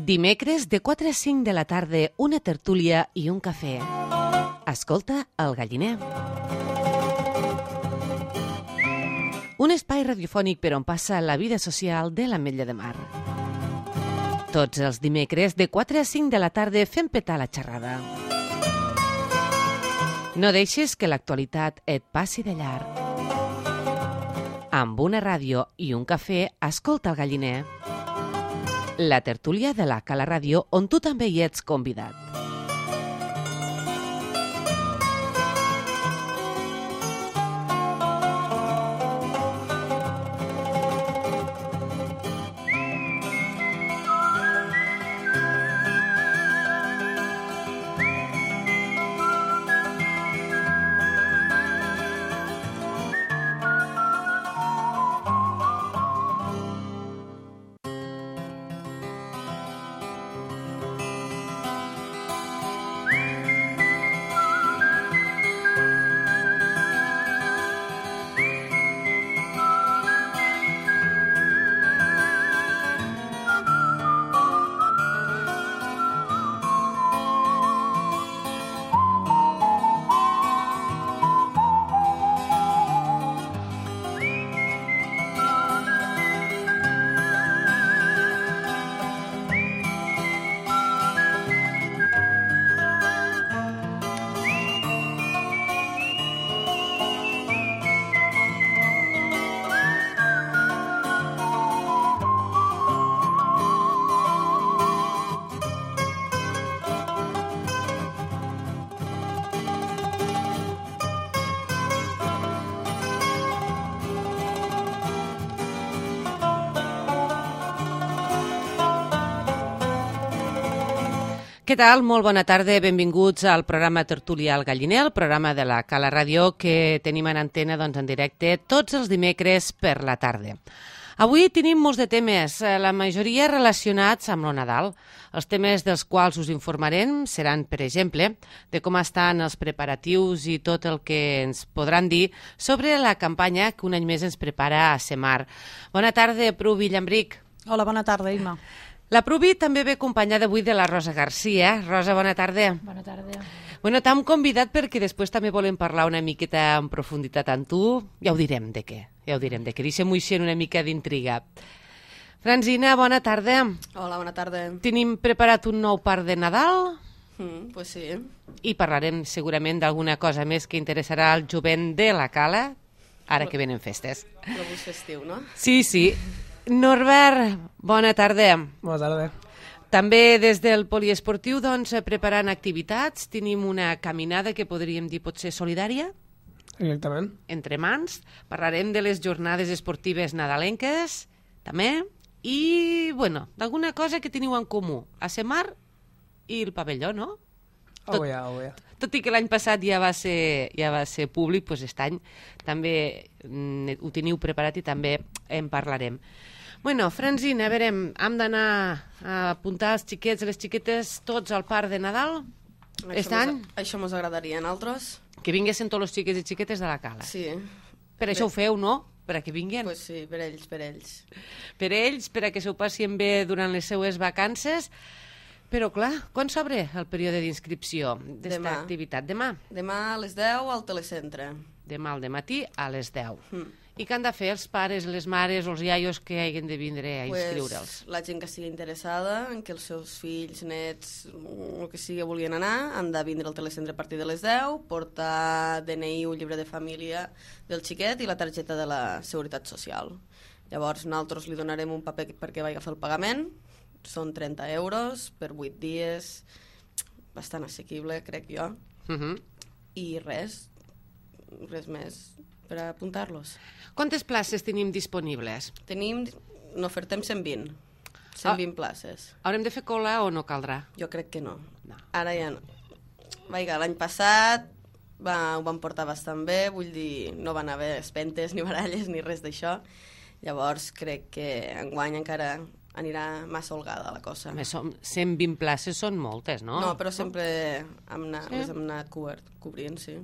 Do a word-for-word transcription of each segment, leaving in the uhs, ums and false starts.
Dimecres de quatre a cinc de la tarda, una tertúlia i un cafè. Escolta El Galliner. Un espai radiofònic per on passa la vida social de l'Ametlla de Mar. Tots els dimecres de quatre a cinc de la tarda fem petar la xerrada. No deixes que l'actualitat et passi de llarg. Amb una ràdio i un cafè, escolta El Galliner. La tertúlia de la Cala Ràdio, on tu també hi ets convidat. Què tal? Molt bona tarda, benvinguts al programa Tertúlia al Galliner, el programa de la Cala Ràdio que tenim en antena doncs, en directe tots els dimecres per la tarda. Avui tenim molts de temes, la majoria relacionats amb el Nadal. Els temes dels quals us informarem seran, per exemple, de com estan els preparatius i tot el que ens podran dir sobre la campanya que un any més ens prepara a Semar. Bona tarda, Pru Villambric. Hola, bona tarda, Imma. La Pruvi també ve acompanyada avui de la Rosa Garcia. Rosa, bona tarda. Bona tarda. Bueno, t'hem convidat perquè després també volem parlar una miqueta en profunditat amb tu. Ja ho direm de què, ja ho direm de què. Deixem-ho així una mica d'intriga. Francina, bona tarda. Hola, bona tarda. Tenim preparat un nou part de Nadal. Mm, pues sí. I parlarem segurament d'alguna cosa més que interessarà al jovent de la Cala, ara que venen festes. L'abús festiu, no? Sí, sí. Norbert, bona tarda. Bona tarda. També des del poliesportiu, doncs, preparant activitats. Tenim una caminada que podríem dir potser solidària. Exactament. Entre mans. Parlarem de les jornades esportives nadalenques, també. I, bueno, d'alguna cosa que teniu en comú. A Semar i el pavelló, no? Tot, oh, ja, oh, ja. Tot i que l'any passat ja va ser, ja va ser públic, doncs aquest any també mm, ho teniu preparat i també en parlarem. Bueno, Francina, a veure, hem d'anar a apuntar els xiquets i les xiquetes tots al parc de Nadal aquest any? Això mos agradaria a nosaltres. Que vinguessin tots els xiquets i xiquetes de la Cala. Sí. Per això ho feu, no? Per a que vinguin? Pues sí, per ells, per ells. Per ells, per a que s'ho passin bé durant les seues vacances. Però, clar, quan s'obre el període d'inscripció d'esta activitat? Demà? Demà a les deu al telecentre. Demà al dematí a les deu. Mm. I què han de fer els pares, les mares o els iaios que hagin de vindre a inscriure'ls? Pues, la gent que estigui interessada en que els seus fills, nets, el que sigui, volien anar, han de vindre al telecentre a partir de les deu, portar D N I, un llibre de família del xiquet i la targeta de la Seguretat Social. Llavors, nosaltres li donarem un paper perquè vagi a fer el pagament. Són trenta euros per vuit dies, bastant assequible, crec jo. Uh -huh. I res, res més per apuntar-los. Quantes places tenim disponibles? Tenim, n'ofertem cent vint. cent vint ah, places. Haurem de fer cola o no caldrà? Jo crec que no. no. Ara ja no. Vaiga, l'any passat va, ho van portar bastant bé, vull dir, no van haver espentes ni baralles ni res d'això. Llavors crec que enguany encara anirà massa holgada la cosa. A més, som cent vint places són moltes, no? No, però sempre hem anat, sí? hem anat cobert, cobrint, sí.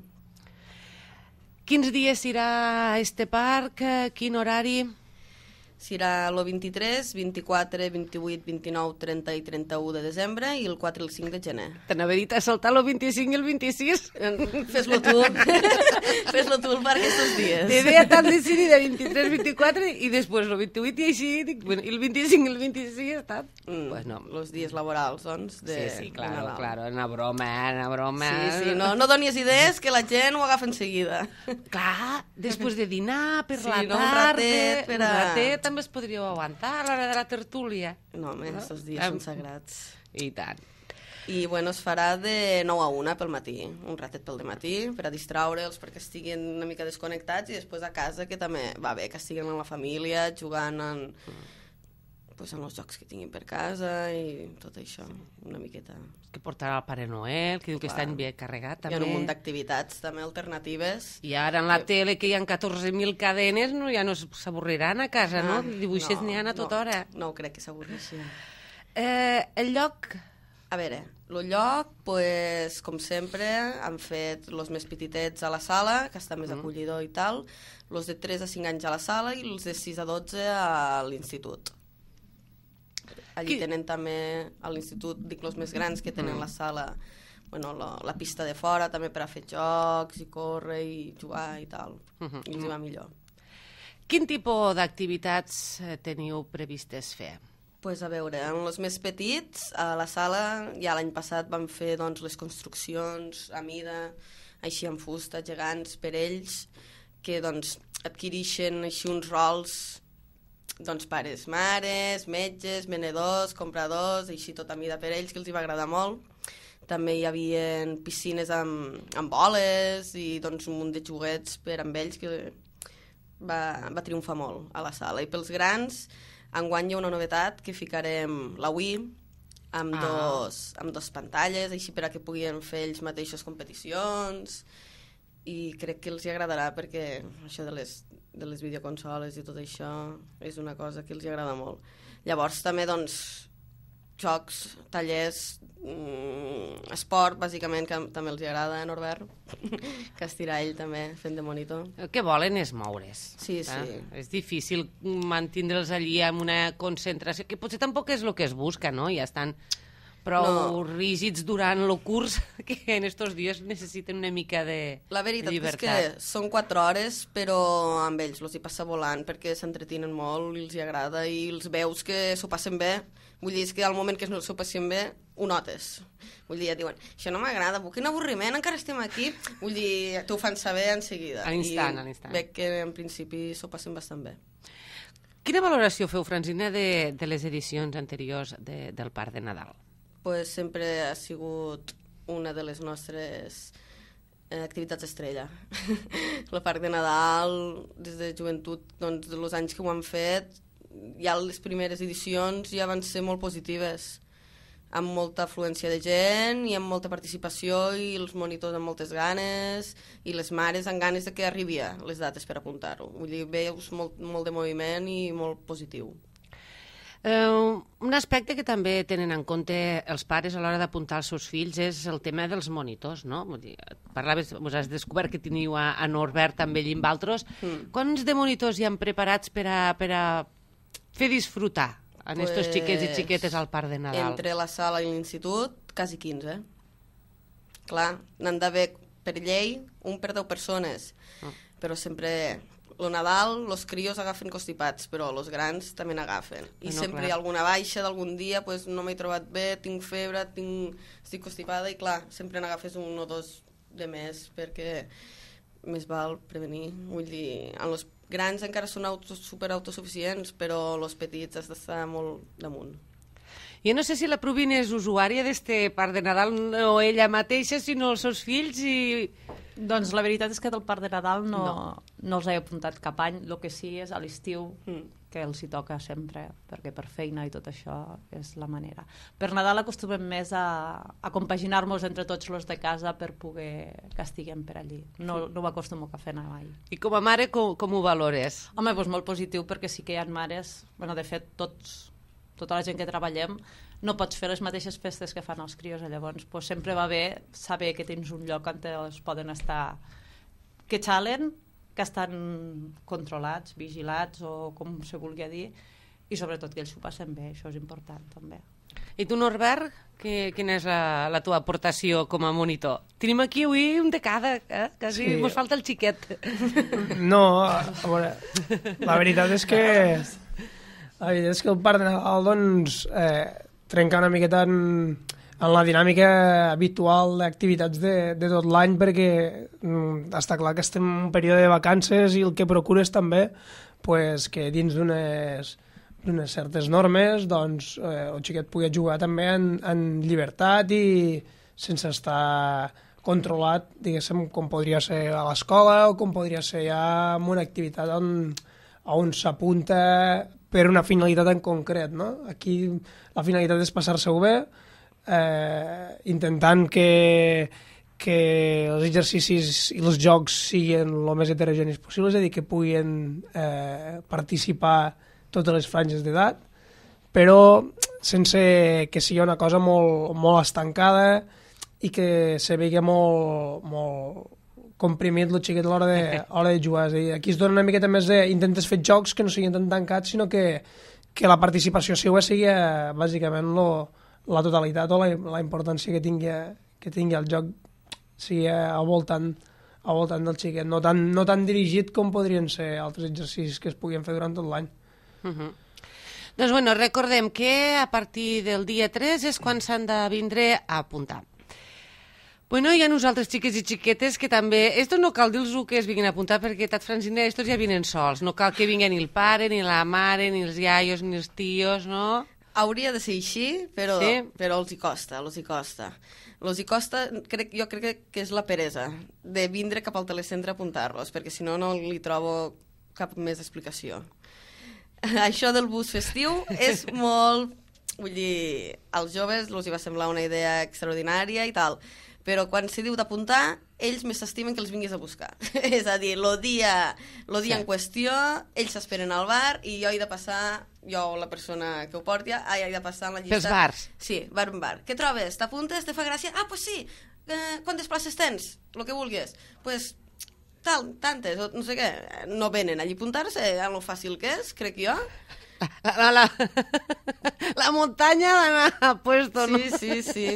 Quins dies irà a este parc? Quin horari? serà el vint-i-tres, vint-i-quatre, vint-i-vuit, vint-i-nou, trenta i trenta-u de desembre i el quatre i el cinc de gener. T'anava dit a saltar el vint-i-cinc i el vint-i-sis. Fes-lo tu. Fes-lo tu per aquests dies. Idea tan decidida, vint-i-tres, vint-i-quatre i després el vint-i-vuit i així, dic, bueno, i el vint-i-cinc i el vint-i-sis ha estat... Mm, pues no. Els dies laborals, doncs, de Sí, sí, claro, Nadal. claro, una broma, una broma... Sí, sí, no, no donis idees que la gent ho agafa en seguida. Clar, després de dinar, per Sí, la no, un tarda... ratet per a- Un ratet també es podríeu aguantar a l'hora de la tertúlia. No, home, No? aquests dies Em- són sagrats. I tant. I, bueno, es farà de nou a una pel matí, un ratet pel matí, per a distraure'ls, perquè estiguin una mica desconnectats, i després a casa, que també va bé, que estiguen amb la família, jugant en, pues, en els jocs que tinguin per casa i tot això, una miqueta. Que portarà el Pare Noel, que diu que Clar. està ben carregat, Hi també. ha un munt d'activitats també alternatives. I ara en la tele, que hi ha catorze mil cadenes, no, ja no s'avorriran a casa, no? Dibuixets n'hi ha a tota hora. No, no crec que s'avorreixin. Eh, el lloc... A veure, el lloc, pues, com sempre, han fet els més petitets a la sala, que està més Mm. acollidor i tal, els de tres a cinc anys a la sala i els de sis a dotze a l'institut. Allí Qui- tenen també, a l'institut, dic, els més grans, que tenen Mm. la sala, bueno, la, la pista de fora, també per a fer jocs i córrer i jugar i tal. Mhm. I els hi va millor. Quin tipus d'activitats eh, teniu previstes fer? Pues a veure, en els més petits, a la sala, ja l'any passat vam fer doncs, les construccions a mida, així amb fusta, gegants, per ells, que doncs, adquireixen així uns rols, doncs, pares, mares, metges, venedors, compradors, així tot a mida per ells, que els hi va agradar molt. També hi havia piscines amb, amb boles i doncs, un munt de joguets per amb ells, que va, va triomfar molt a la sala. I pels grans, enguany hi ha una novetat, que ficarem la Wii amb, Ah. dos, amb dos pantalles, així per a que puguin fer ells mateixos competicions, i crec que els hi agradarà, perquè això de les, de les videoconsoles i tot això és una cosa que els hi agrada molt. Llavors també, doncs, jocs, tallers, mm, esport, bàsicament, que també els hi agrada a Norbert, que estirà ell també fent de monitor. El que volen és moure's. Sí, eh? sí. És difícil mantindre'ls allí amb una concentració, que potser tampoc és el que es busca, no? Ja estan prou No. rígids durant el curs, que en estos dies necessiten una mica de La veritat és llibertat. que són quatre hores, però amb ells els hi passa volant, perquè s'entretinen molt i els hi agrada, i els veus que s'ho passen bé. Vull dir, és que al moment que no s'ho passen bé, ho notes. Vull dir, ja diuen, això no m'agrada, quin avorriment, encara estem aquí. Vull dir, t'ho fan saber en seguida. A l'instant, I a l'instant. Veig que en principi s'ho passen bastant bé. Quina valoració feu, Francina, de, de les edicions anteriors de, del Parc de Nadal? Pues sempre ha sigut una de les nostres eh, activitats estrella. El Parc de Nadal, des de joventut, doncs, dels anys que ho han fet, ja les primeres edicions ja van ser molt positives, amb molta afluència de gent i amb molta participació, i els monitors amb moltes ganes, i les mares amb ganes de que arribia les dates per apuntar-ho. Vull dir, veus molt, molt de moviment i molt positiu. Uh, un aspecte que també tenen en compte els pares a l'hora d'apuntar els seus fills és el tema dels monitors, no? Vull dir, parlaves, vos has descobert que teniu a, a Norbert també allí amb altres. Mm. Quants de monitors hi han preparats per a, per a fer disfrutar a pues, estos xiquets i xiquetes al Parc de Nadal? Entre la sala i l'institut, quasi quinze. Clar, n'han d'haver per llei un per deu persones, Ah. però sempre el Nadal els crios agafen constipats, però els grans també n'agafen. I No, sempre clar. hi ha alguna baixa d'algun dia, pues, no m'he trobat bé, tinc febre, tinc... estic constipada, i clar, sempre n'agafes un o dos de més, perquè més val prevenir. Vull dir, en els grans encara són autos, super autosuficients, però els petits has d'estar molt damunt. Jo no sé si la Provina és usuària d'este Parc de Nadal, no ella mateixa, sinó els seus fills i... Doncs la veritat és que del Parc de Nadal no, No. no. no els he apuntat cap any. El que sí és a l'estiu, Mm. que els hi toca sempre, perquè per feina i tot això és la manera. Per Nadal acostumem més a, a compaginar-nos entre tots els de casa per poder que estiguem per allí. No, no ho acostumo a fer mai. I com a mare, com, com ho valores? Home, doncs molt positiu, perquè sí que hi ha mares, bueno, de fet, tots, tota la gent que treballem, no pots fer les mateixes festes que fan els crios, llavors doncs, sempre va bé saber que tens un lloc on els poden estar, que xalen, que estan controlats, vigilats o com se vulgui dir, i sobretot que ells s'ho passen bé, això és important també. I tu, Norbert, que, quina és la, la teva aportació com a monitor? Tenim aquí avui un de cada, eh? Quasi sí. Mos falta el xiquet. No, a veure, la veritat és que la veritat és que el Parc de Nadal doncs, eh, trenca una miqueta en, en la dinàmica habitual d'activitats de, de tot l'any, perquè mm, està clar que estem en un període de vacances i el que procures també pues, que dins d'unes d'unes certes normes doncs, eh, el xiquet pugui jugar també en, en llibertat i sense estar controlat, diguéssim, com podria ser a l'escola o com podria ser ja en una activitat on, on s'apunta per una finalitat en concret, no? Aquí la finalitat és passar-se-ho bé, eh, intentant que, que els exercicis i els jocs siguin el més heterogenis possible, és a dir, que puguin eh, participar totes les franges d'edat, però sense que sigui una cosa molt, molt estancada i que se vegi molt, molt comprimit el xiquet a l'hora de, a l'hora de jugar. És a dir, aquí es dona una miqueta més de... Intentes fer jocs que no siguin tan tancats, sinó que, que la participació seva sigui eh, bàsicament lo, la totalitat o la, la importància que tingui, que tingui el joc sigui al voltant, al voltant del xiquet, no tan, no tan dirigit com podrien ser altres exercicis que es puguin fer durant tot l'any. Uh -huh. Doncs bueno, recordem que a partir del dia tres és quan s'han de vindre a apuntar. Bueno, hi ha nosaltres xiques i xiquetes que també... Estos no cal dir-los que es vinguin a apuntar perquè, tat Francina, estos ja vinen sols. No cal que vinguen ni el pare, ni la mare, ni els iaios, ni els tios, no? Hauria de ser així, però, sí? però els hi costa, els hi costa. Els hi costa, crec, jo crec que és la peresa de vindre cap al telecentre a apuntar-los, perquè si no, no li trobo cap més explicació. Això del bus festiu és molt... Vull dir, als joves els hi va semblar una idea extraordinària i tal, però quan se diu d'apuntar, ells més s'estimen que els vinguis a buscar. És a dir, el dia, lo dia sí. en qüestió, ells s'esperen al bar i jo he de passar, jo la persona que ho porti, he de passar en la llista... Pels bars? Sí, bar en bar. Què trobes? T'apuntes? Te fa gràcia? Ah, pues sí! Eh, quantes places tens? Lo que vulguis. Pues... tal, tantes, no sé què, no venen allí a apuntar-se, a lo fàcil que és, crec jo. La, la, la muntanya d'anar a puesto, sí, no? Sí, sí, sí.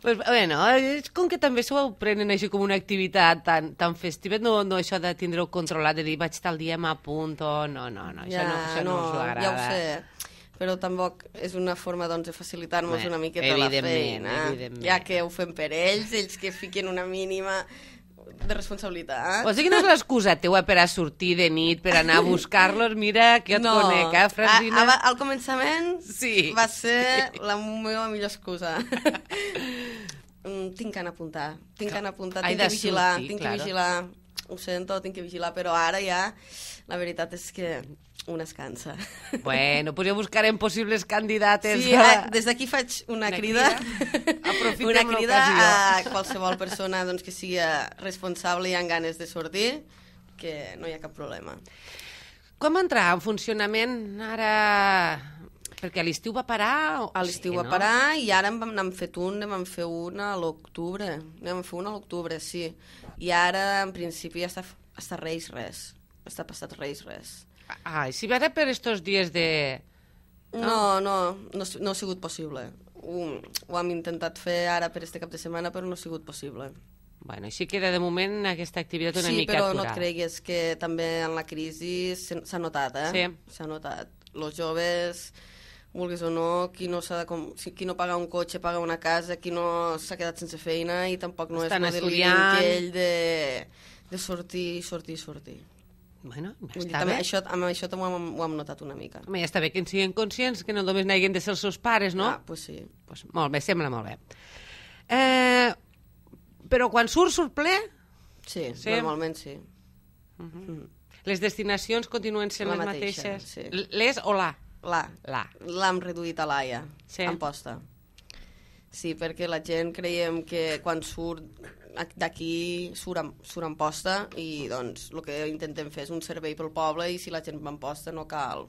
Pues, bueno, és com que també s'ho prenen així com una activitat tan, tan festiva, no, no això de tindre-ho controlat, de dir vaig tal dia m'apunto, no, no, no, això ja, no, això no, no us agrada. Ja ho sé, però tampoc és una forma doncs, de facilitar-nos una miqueta la feina, ja que ho fem per ells, ells que fiquen una mínima de responsabilitat. O sigui que no és l'excusa teua per a sortir de nit, per anar a buscar-los, mira que et no. conec, eh, Francina? A, a, al començament sí. va ser la meva millor excusa. tinc que anar a apuntar, tinc que anar a apuntar, tinc que vigilar, sortir, tinc claro. que vigilar, ho sento, tinc que vigilar, però ara ja la veritat és que un es cansa. Bueno, pues ja buscarem possibles candidates. Sí, a... des d'aquí faig una, una crida, crida. una crida a qualsevol persona doncs, que sigui responsable i amb ganes de sortir, que no hi ha cap problema. Com va entrar en funcionament ara... Perquè a l'estiu va parar? O... A l'estiu sí, va no? parar i ara n'hem fet un, n'hem fet un a l'octubre. N'hem fet un a l'octubre, sí. I ara, en principi, ja està, està reis res. Està passat reis res. Ah, i si ara per estos dies de... No, no, no, no ha sigut possible. Ho, ho hem intentat fer ara per este cap de setmana, però no ha sigut possible. Bueno, així queda de moment aquesta activitat una sí, mica però aturada. No et creguis que també en la crisi s'ha notat, eh? Sí. S'ha notat. Los joves, vulguis o no, qui no, s'ha de com... qui no paga un cotxe paga una casa, qui no s'ha quedat sense feina i tampoc no estan és el aquell de, de sortir, sortir, sortir. Bueno, està també, bé. Això, amb això també ho hem, ho hem notat una mica. Home, ja està bé que en siguin conscients, que no només n'hagin de ser els seus pares, no? Ah, pues sí. Pues molt bé, sembla molt bé. Eh, però quan surt, surt ple? Sí, sí? Normalment sí. Uh -huh. mm. Les destinacions continuen sent la les mateixa, mateixes? Sí. Les o la? La. La. L'hem reduït a l'A ja, sí. en posta. Sí, perquè la gent creiem que quan surt d'aquí surt en, surt en posta i doncs el que intentem fer és un servei pel poble i si la gent va en posta no cal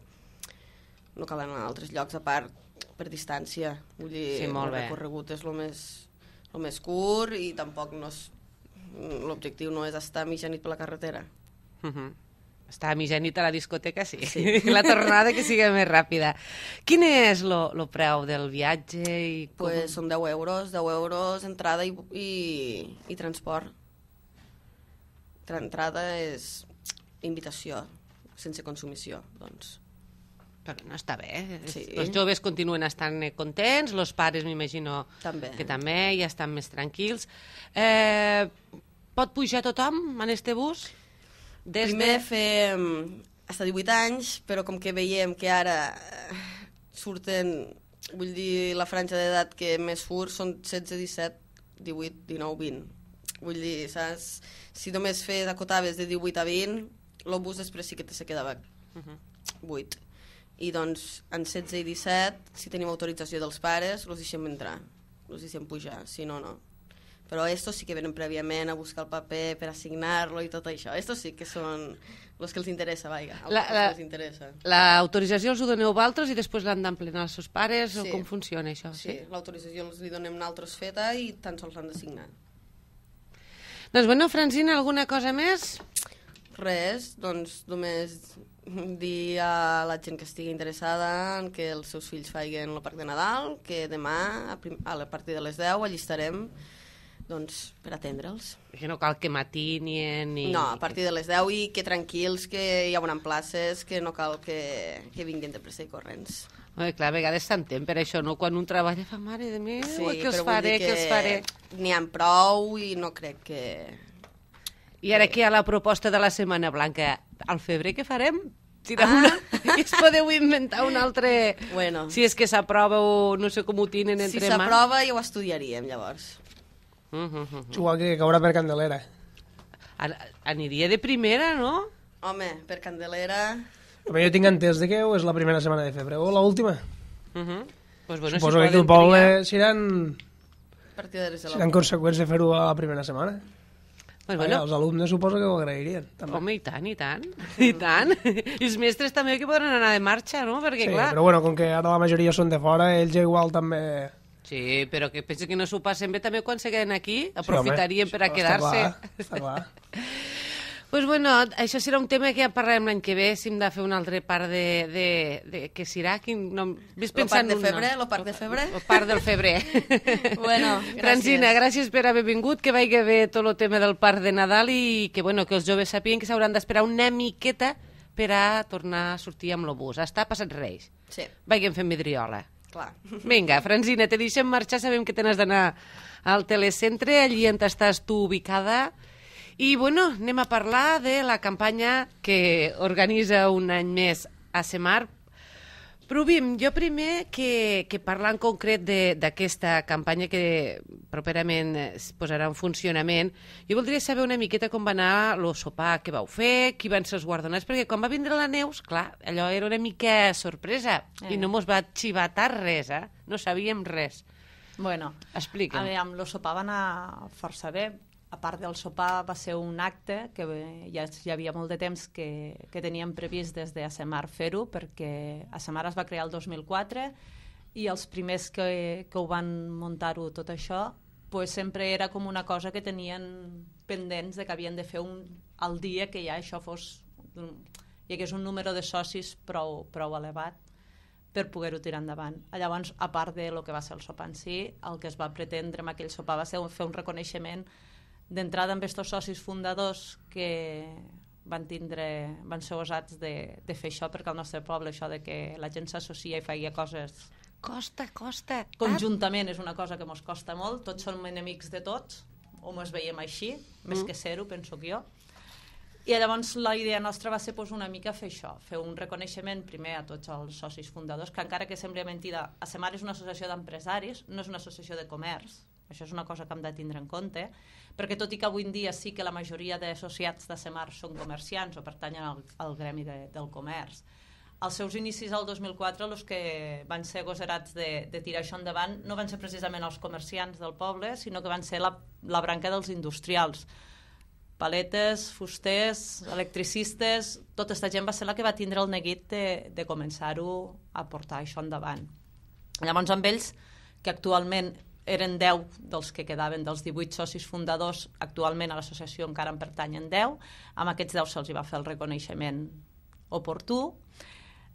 no cal anar a altres llocs a part per distància. Vull dir, sí, molt el bé. recorregut és el més, el més curt i tampoc no és, l'objectiu no és estar mitja nit per la carretera. Uh -huh. Estar a mitjanit a la discoteca, sí. sí. La tornada que sigui més ràpida. Quin és el preu del viatge? I com... Pues són deu euros, deu euros entrada i, i, i transport. Entrada és invitació, sense consumició, doncs. Però no està bé. Sí. Els joves continuen estant contents, els pares m'imagino també. que també ja estan més tranquils. Eh, pot pujar tothom en este bus? Des Primer de... fem fins a divuit anys, però com que veiem que ara surten, vull dir, la franja d'edat que més surt són setze, disset, divuit, dinou, vint. Vull dir, saps? Si només fes acotaves de divuit a vint, el bus després sí que se quedava buit. I doncs, en setze i disset, si tenim autorització dels pares, els deixem entrar, els deixem pujar, si no, no. Però estos sí que venen prèviament a buscar el paper per assignar-lo i tot això. Estos sí que són els que els interessa, vaja, els la, la, que els interessa. L'autorització els ho doneu vosaltres i després l'han d'emplenar els seus pares, sí. O com funciona això? Sí, sí? L'autorització els li donem nosaltres feta i tan sols l'han d'assignar. Doncs bueno, Francina, alguna cosa més? Res, doncs només dir a la gent que estigui interessada en que els seus fills faiguen el Parc de Nadal, que demà, a, prim a partir de les deu, allí estarem doncs, per atendre'ls. Que no cal que matinien ni... No, a partir de les deu i que tranquils, que hi haurà places, que no cal que, que vinguin de pressa i corrents. Bé, clar, a vegades s'entén per això, no? Quan un treballa fa, mare de mi, sí, que els faré, que, que els faré. N'hi ha prou i no crec que... I ara que hi ha la proposta de la Setmana Blanca, al febrer què farem? Tirar ah. una... I es podeu inventar un altre... Bueno. Si és que s'aprova o no sé com ho tenen entre mans. Si s'aprova ja ho estudiaríem, llavors. Uh -huh, uh -huh. Igual que caurà per Candelera. An aniria de primera, no? Home, per Candelera... Però jo tinc entès que és la primera setmana de febrer, o l'última. Uh -huh. Pues bueno, suposo si que aquí el poble seran, seran conseqüents de fer-ho a la primera setmana. Pues bueno. Vaja, els alumnes suposo que ho agrairien. També. Home, i tant, i tant. I tant. I els mestres també que podran anar de marxa, no? Perquè, sí, clar... però bueno, com que ara la majoria són de fora, ells ja igual també... Sí, però que penso que no s'ho passen bé també quan se queden aquí, aprofitarien sí, home, per a quedar-se. Està clar, està clar. Pues bueno, això serà un tema que ja parlarem l'any que ve, si hem de fer un altre part de... de, de què serà? Quin nom? Ves pensant el parc de febrer? El parc de febrer? El parc del febrer. Bueno, gràcies. Francina, gràcies per haver vingut, que vagi bé tot el tema del parc de Nadal i que, bueno, que els joves sapien que s'hauran d'esperar una miqueta per a tornar a sortir amb el bus. Està passat Reis. Sí. Vagin fent vidriola. Clar. Vinga, Francina, te deixem marxar, sabem que t'has d'anar al telecentre, allí on estàs tu ubicada. I, bueno, anem a parlar de la campanya que organitza un any més a Semar. Provim, jo primer que, que parlar en concret d'aquesta campanya que properament es posarà en funcionament, jo voldria saber una miqueta com va anar el sopar que vau fer, qui van ser els guardonats, perquè quan va vindre la Neus, clar, allò era una mica sorpresa eh. i no mos va xivatar res, eh? No sabíem res. Bueno, explica'm. A veure, amb el sopar va anar força bé. A part del sopar va ser un acte que ja hi havia molt de temps que, que teníem previst des de Asemar fer-ho, perquè Asemar es va crear el dos mil quatre i els primers que, que ho van muntar-ho tot això pues sempre era com una cosa que tenien pendents de que havien de fer un, el dia que ja això fos hi hagués un número de socis prou, prou elevat per poder-ho tirar endavant. Llavors, a part de lo que va ser el sopar en si, el que es va pretendre amb aquell sopar va ser fer un reconeixement d'entrada amb aquests socis fundadors que van tindre, van ser osats de, de fer això, perquè al nostre poble això de que la gent s'associa i feia coses costa, costa conjuntament és una cosa que mos costa molt, tots som enemics de tots o mos veiem així, mm. més que ser-ho penso que jo, i llavors la idea nostra va ser pues, una mica fer això, fer un reconeixement primer a tots els socis fundadors, que encara que sembli mentida, Asemar és una associació d'empresaris, no és una associació de comerç. Això és una cosa que hem de tindre en compte, perquè tot i que avui en dia sí que la majoria d'associats d'Asemar són comerciants o pertanyen al, al gremi de, del comerç, als seus inicis al dos mil quatre els que van ser agosarats de, de tirar això endavant no van ser precisament els comerciants del poble, sinó que van ser la, la branca dels industrials. Paletes, fusters, electricistes, tota aquesta gent va ser la que va tindre el neguit de, de començar-ho a portar això endavant. Llavors amb ells, que actualment eren deu dels que quedaven, dels divuit socis fundadors. Actualment a l'associació encara en pertanyen deu. Amb aquests deu se'ls va fer el reconeixement oportú.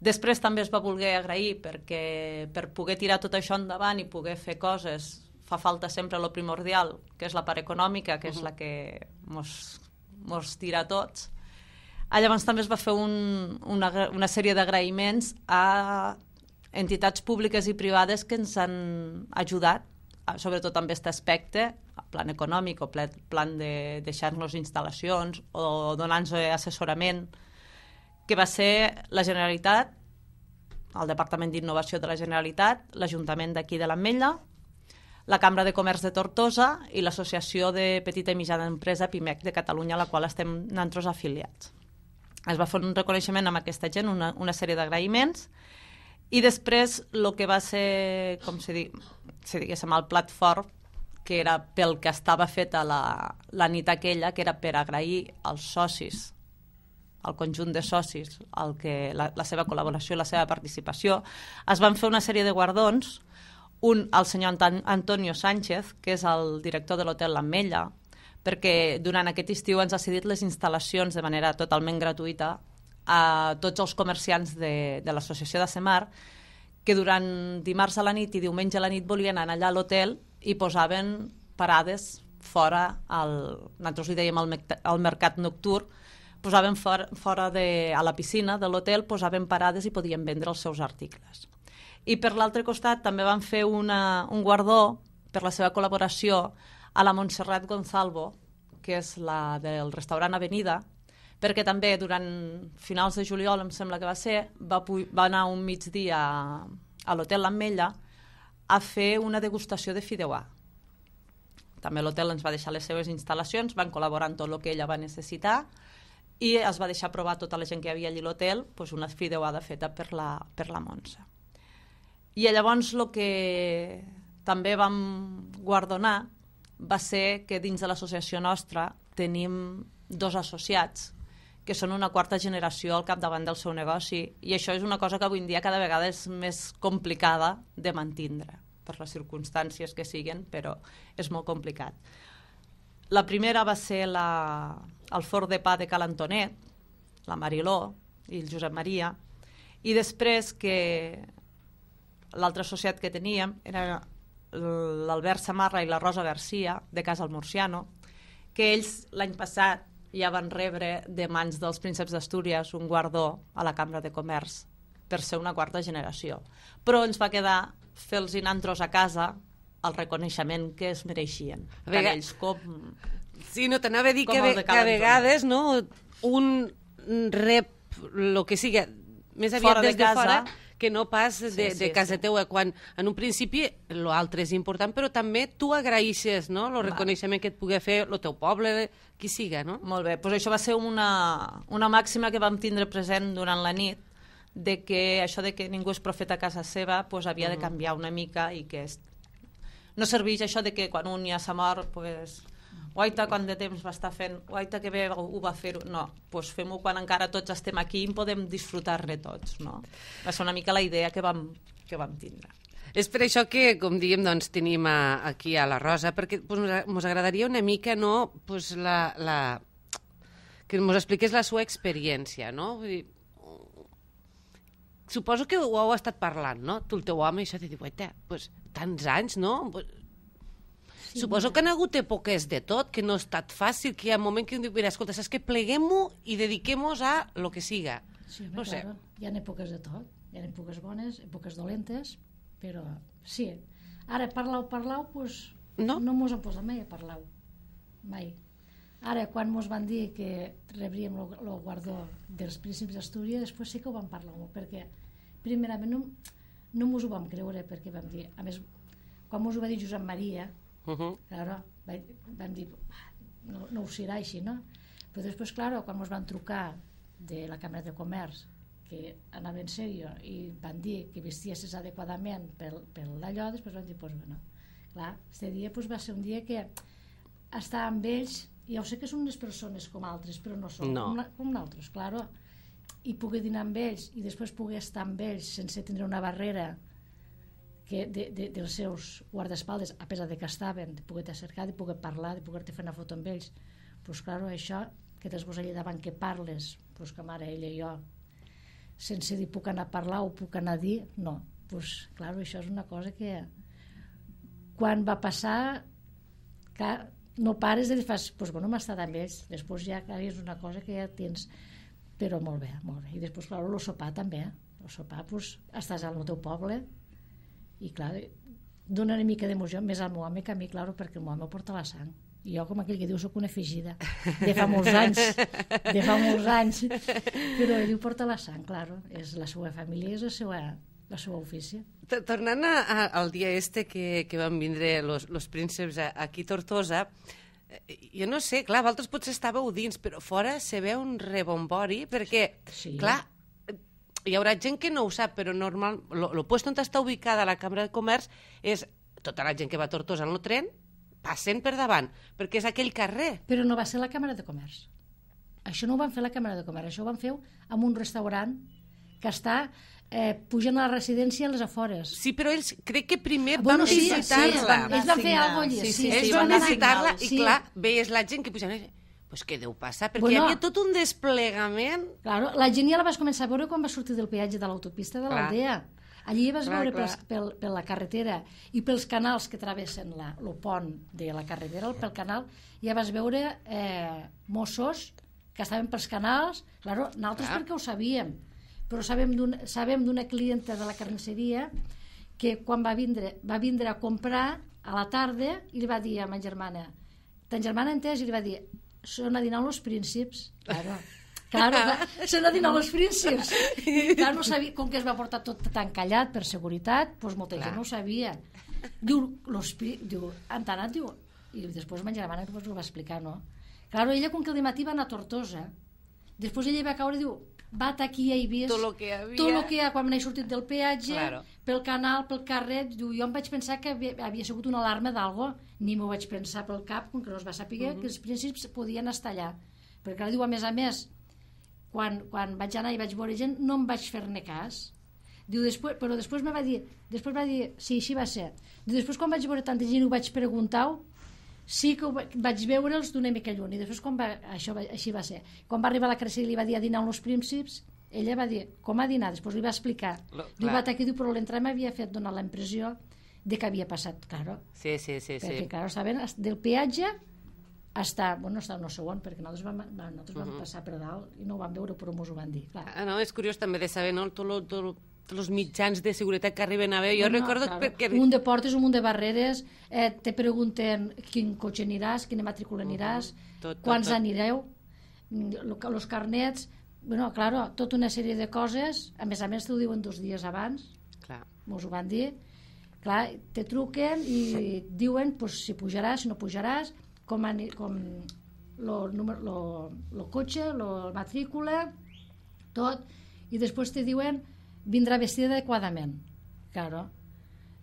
Després també es va voler agrair perquè per poder tirar tot això endavant i poder fer coses fa falta sempre lo primordial, que és la part econòmica, que és la que mos, mos tira a tots. Llavors també es va fer un, una, una sèrie d'agraïments a entitats públiques i privades que ens han ajudat, sobretot amb aquest aspecte, plan econòmic o plan de deixar-nos instal·lacions o donar-nos assessorament, que va ser la Generalitat, el Departament d'Innovació de la Generalitat, l'Ajuntament d'aquí de l'Ametlla, la Cambra de Comerç de Tortosa i l'Associació de Petita i Mitjana Empresa PIMEC de Catalunya, a la qual estem nosaltres afiliats. Es va fer un reconeixement amb aquesta gent, una, una sèrie d'agraïments, i després el que va ser, com si, di, si diguéssim, el plat fort, que era pel que estava feta la, la nit aquella, que era per agrair als socis, al conjunt de socis, el que, la, la seva col·laboració i la seva participació, es van fer una sèrie de guardons, un al senyor Antonio Sánchez, que és el director de l'hotel L'Ametlla, perquè durant aquest estiu ens ha cedit les instal·lacions de manera totalment gratuïta a tots els comerciants de, de l'associació de Semar, que durant dimarts a la nit i diumenge a la nit volien anar allà a l'hotel i posaven parades fora, al, nosaltres li dèiem al, al mercat nocturn, posaven fora, fora de, a la piscina de l'hotel, posaven parades i podien vendre els seus articles. I per l'altre costat també van fer una, un guardó per la seva col·laboració a la Montserrat Gonzalvo, que és la del restaurant Avenida, perquè també durant finals de juliol, em sembla que va ser, va, va anar un migdia a, a l'hotel L'Ametlla a fer una degustació de fideuà. També l'hotel ens va deixar les seves instal·lacions, van col·laborar en tot el que ella va necessitar i es va deixar provar tota la gent que hi havia allà a l'hotel doncs una fideuada feta per la, per la Montse. I llavors el que també vam guardonar va ser que dins de l'associació nostra tenim dos associats que són una quarta generació al capdavant del seu negoci, i això és una cosa que avui en dia cada vegada és més complicada de mantindre, per les circumstàncies que siguen, però és molt complicat. La primera va ser la, el forn de pa de Cal Antonet, la Mariló i el Josep Maria, i després que l'altre associat que teníem era l'Albert Samarra i la Rosa Garcia, de Casa al Murciano, que ells l'any passat ja van rebre de mans dels prínceps d'Astúries un guardó a la Cambra de Comerç per ser una quarta generació. Però ens va quedar fer-los nantros a casa el reconeixement que es mereixien. Tant ells com... Sí, no, t'anava a dir que, que a vegades no, un rep el que sigui més aviat des de fora que no pas de, sí, sí, de casa sí. teua, quan en un principi l'altre és important, però també tu agraeixes, no?, el reconeixement que et pugui fer el teu poble, qui siga, no? Molt bé, doncs això va ser una, una màxima que vam tindre present durant la nit, de que això de que ningú és profeta a casa seva pues, havia de canviar una mica i que és... no serveix això de que quan un ja s'ha mort, pues, guaita quant de temps va estar fent, guaita que bé ho va fer, no, doncs fem-ho quan encara tots estem aquí i podem disfrutar-ne tots, no? Va ser una mica la idea que vam, que vam tindre. És per això que, com diem, doncs, tenim a, aquí a la Rosa, perquè ens pues, agradaria una mica, no?, pues, la, la... que ens expliqués la seva experiència, no? Vull dir, suposo que ho heu estat parlant, no? Tu, el teu home, això de dir, guaita, pues, tants anys, no? Sí, suposo que han hagut èpoques de tot, que no ha estat fàcil, que hi ha un moment que diu, mira, escolta, saps que pleguem-ho i dediquem-nos a lo que siga. Sí, no sé. Claro. Hi ha èpoques de tot, hi ha èpoques bones, èpoques dolentes, però sí. Ara, parlau, parlau, pues, no, no mos han posat mai a parlau, mai. Ara, quan mos van dir que rebríem el guardó dels príncips d'Astúries, després sí que ho vam parlar molt, perquè primerament no, no mos ho vam creure, perquè vam dir, a més, quan mos ho va dir Josep Maria, Uh-huh. claro, vam dir no, no ho serà així, no? Però després, claro, quan ens van trucar de la Cambra de Comerç que anava en sèrio i van dir que vestiessis adequadament per, per d'allò, després van dir, pues, bueno, clar, este dia pues, va ser un dia que estar amb ells, i jo sé que són unes persones com altres, però no són no. com, com nosaltres, claro, i poder dinar amb ells i després poder estar amb ells sense tindre una barrera que de, de, dels seus guardaespaldes, a pesar de que estaven, de poder-te acercar, de poder parlar, de poder-te fer una foto amb ells. Pues, claro, això, que tens vos allà davant que parles, pues, que mare, ella i jo, sense dir puc anar a parlar o puc anar a dir, no. Pues, claro, això és una cosa que quan va passar, que no pares de dir, fas, pues, bueno, m'ha estat amb ells, després ja és una cosa que ja tens, però molt bé, molt bé. I després, clar, el sopar també, el sopar, pues, estàs al teu poble i, clar, dona una mica d'emoció, més al meu home que a mi, clar, perquè el meu home porta la sang. I jo, com aquell que diu, soc una afegida, de fa molts anys, de fa molts anys, però ell ho porta la sang, clar, és la seva família, és la seva, la seva ofici. Tornant a, a, al dia este que, que van vindre los, los prínceps aquí a Tortosa, jo no sé, clar, vosaltres potser estàveu dins, però fora se veu un rebombori, perquè, sí. clar, hi haurà gent que no ho sap, però normal, lo, lo puesto on està ubicada la Cambra de Comerç és tota la gent que va a Tortosa en el tren, passen per davant, perquè és aquell carrer. Però no va ser la Càmera de Comerç. Això no ho van fer a la Càmera de Comerç, això ho van fer en un restaurant que està eh, pujant a la residència a les afores. Sí, però ells crec que primer bueno, van sí, visitar-la. Sí, van, ells van fer alguna cosa allà. Sí, sí, sí, ells sí, van van visitar-la i, sí. clar, veies la gent que pujaven... Pues què deu passar? Perquè bueno, hi havia tot un desplegament... Claro, la gent ja la vas començar a veure quan va sortir del peatge de l'autopista de l'Aldea. Allí vas clar, veure pels, pel, per la carretera i pels canals que travessen la, el pont de la carretera, pel canal, ja vas veure eh, Mossos que estaven pels canals, claro, nosaltres clar. Perquè ho sabíem, però sabem d'una clienta de la carnisseria que quan va vindre, va vindre a comprar a la tarda i li va dir a ma germana, ta germana entès, i li va dir, són a dinar els prínceps, claro. Claro, s'ha de dinar els prínceps. Clar, no sabia, com que es va portar tot tan callat per seguretat, doncs molta gent no ho sabia. Diu, los, diu han anat, diu, i després ma germana pues, ho va explicar, no? Claro, ella, com que el matí va anar a Tortosa, després ella va caure, diu, va aquí i he vist tot el que havia, tot el que hi ha, quan m'he sortit del peatge, claro. pel canal, pel carrer, diu, jo em vaig pensar que havia, havia sigut una alarma d'algo, ni m'ho vaig pensar pel cap, com que no es va saber uh-huh. que els prínceps podien estar allà. Perquè, clar, diu, a més a més, Quan, quan vaig anar i vaig veure gent, no em vaig fer-ne cas. Diu, després, però després me va dir, després va dir, sí, així va ser. Diu, després quan vaig veure tanta gent i ho vaig preguntar, sí que ho vaig veure'ls d'una mica lluny. I després quan va, això va, així va ser. Quan va arribar a la Cressida i li va dir a dinar amb els prínceps, ella va dir, com a dinar? Després li va explicar. Lo, diu, va aquí, diu, però l'entrar m'havia fet donar la impressió de que havia passat, claro. Sí, sí, sí. Perquè, sí. claro, saben, del peatge està, bueno, està no segon, perquè nosaltres vam, nosaltres vam uh -huh. passar per dalt i no ho vam veure, però mos ho van dir, clar. Ah, no, és curiós també de saber, no?, tots tot, tot els mitjans de seguretat que arriben a veure. Jo no, recordo claro. perquè... Un munt de portes, un munt de barreres, eh, te pregunten quin cotxe aniràs, quina matrícula aniràs, uh -huh. tot, tot, quants tot. anireu, els carnets, bueno, claro, tota una sèrie de coses, a més a més t'ho diuen dos dies abans, clar. Mos ho van dir, clar, te truquen i diuen pues, si pujaràs, si no pujaràs, com, com lo, lo, lo cotxe, la matrícula, tot, i després te diuen vindrà vestida adequadament. Claro.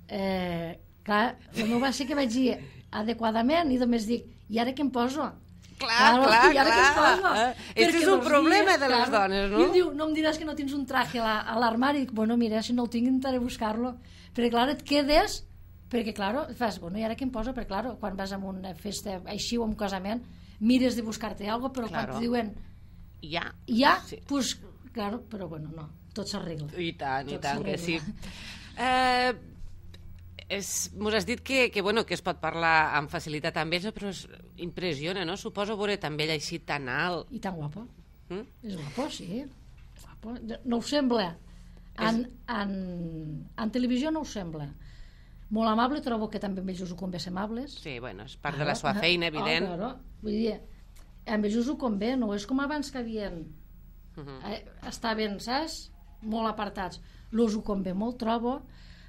Eh, clar, el meu va ser que vaig dir adequadament i només dic, i ara què em poso? Clar, clar, clar. Aquest és un problema de les dones, no? I em diu, no em diràs que no tens un traje a l'armari? Dic, bueno, mira, si no el tinc intentaré buscar-lo. Perquè, clar, et quedes... Perquè, clar, fas, bueno, i ara què em poso? Perquè, clar, quan vas a una festa així o a un casament, mires de buscar-te alguna cosa, però claro. Quan te diuen... Ja. Ja, sí. Pues, claro, però bueno, no, tot s'arregla. I tant, tot i tant, que sí. Eh, és, mos has dit que, que, bueno, que es pot parlar amb facilitat amb ells, però es impressiona, no? Suposo veure també ell així tan alt. I tan guapo. Mm? És guapo, sí. Guapo. No ho sembla. En, és... en, en televisió no ho sembla. Molt amable, trobo que també amb ells ho convé ser amables. Sí, bueno, és part claro. De la seva feina, evident. Oh, claro. Vull dir, amb ells ho convé, no és com abans que havien... Uh -huh. eh, estaven, saps? Molt apartats. L'ús ho convé molt, trobo.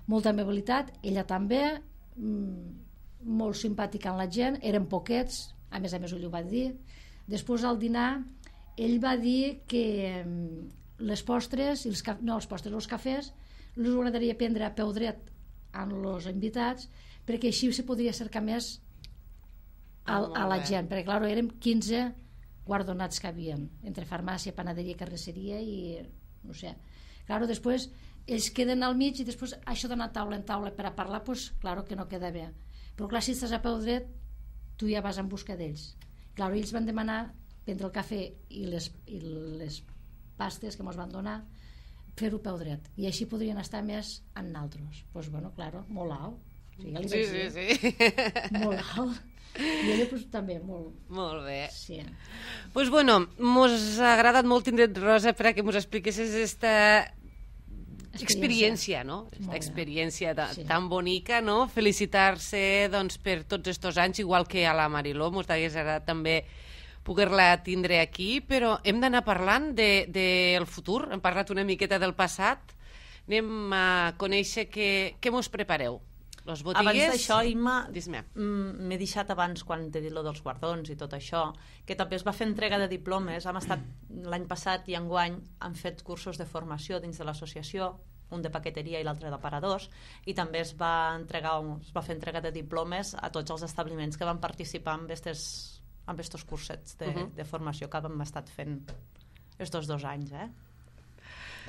Molta amabilitat. Ella també. Mm, molt simpàtica amb la gent. Eren poquets. A més a més, ell ho va dir. Després, al dinar, ell va dir que les postres, els caf... no, els postres, els cafès, els agradaria prendre a peu dret amb els invitats, perquè així se podria acercar més a, a la gent, perquè clar, érem quinze guardonats que havien, entre farmàcia, panaderia, carnisseria i no sé, Claro, després ells queden al mig i després això d'anar taula en taula per a parlar, pues, claro que no queda bé. Però clar, si estàs a peu dret, tu ja vas en busca d'ells. Claro, ells van demanar prendre el cafè i les, i les pastes que ens van donar, fer-ho peu dret. I així podrien estar més en naltros. Doncs, pues, bueno, claro, molt alt. O sigui, ja li sí, sí, sí, sí. Molt alt. I ella pues, també, molt... Molt bé. Sí. Pues bueno, mos ha agradat molt tindre Rosa per a que mos expliquessis esta experiència, no? Esta experiència ta, sí. tan bonica, no? Felicitar-se doncs, per tots estos anys, igual que a la Mariló, mos hagués agradat també poder-la tindre aquí, però hem d'anar parlant del de, de futur, hem parlat una miqueta del passat, anem a conèixer què, què mos prepareu. Los botigues... Abans d'això, Imma, Dis-me. m'he deixat abans, quan t'he dit lo dels guardons i tot això, que també es va fer entrega de diplomes. Hem estat l'any passat i enguany han fet cursos de formació dins de l'associació, un de paqueteria i l'altre d'aparadors, i també es va, entregar, es va fer entrega de diplomes a tots els establiments que van participar en estos, en estos cursets de, uh -huh. de formació que hem estat fent estos dos anys, eh?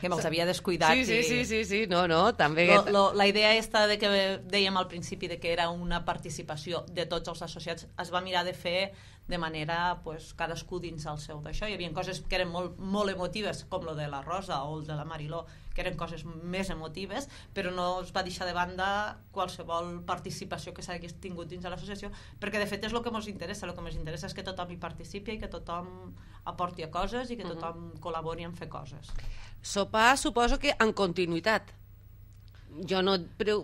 Que me'ls havia descuidat. Sí, sí, i... sí, sí, sí, no, no, també... Lo, lo, la idea esta de que dèiem al principi de que era una participació de tots els associats, es va mirar de fer de manera, pues, cadascú dins el seu d'això. Hi havia coses que eren molt, molt emotives, com lo de la Rosa o el de la Mariló, que eren coses més emotives, però no es va deixar de banda qualsevol participació que s'hagués tingut dins de l'associació, perquè de fet és el que ens interessa. El que ens interessa és que tothom hi participi i que tothom aporti a coses i que tothom uh-huh. col·labori en fer coses. Sopar, suposo que en continuïtat. Jo no,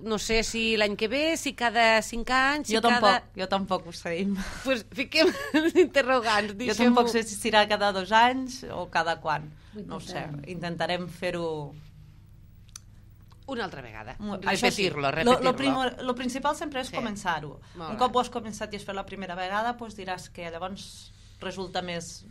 no sé si l'any que ve, si cada cinc anys... Si jo, tampoc, cada... jo tampoc ho sé. Doncs pues fiquem els interrogants. Jo tampoc sé si serà cada dos anys o cada quan. No ho sé. Intentarem fer-ho... Una altra vegada. Repetir-lo, sí. repetir-lo. Lo, lo, lo principal sempre és sí. començar-ho. Un cop ho has començat i has fet la primera vegada, doncs diràs que llavors resulta més...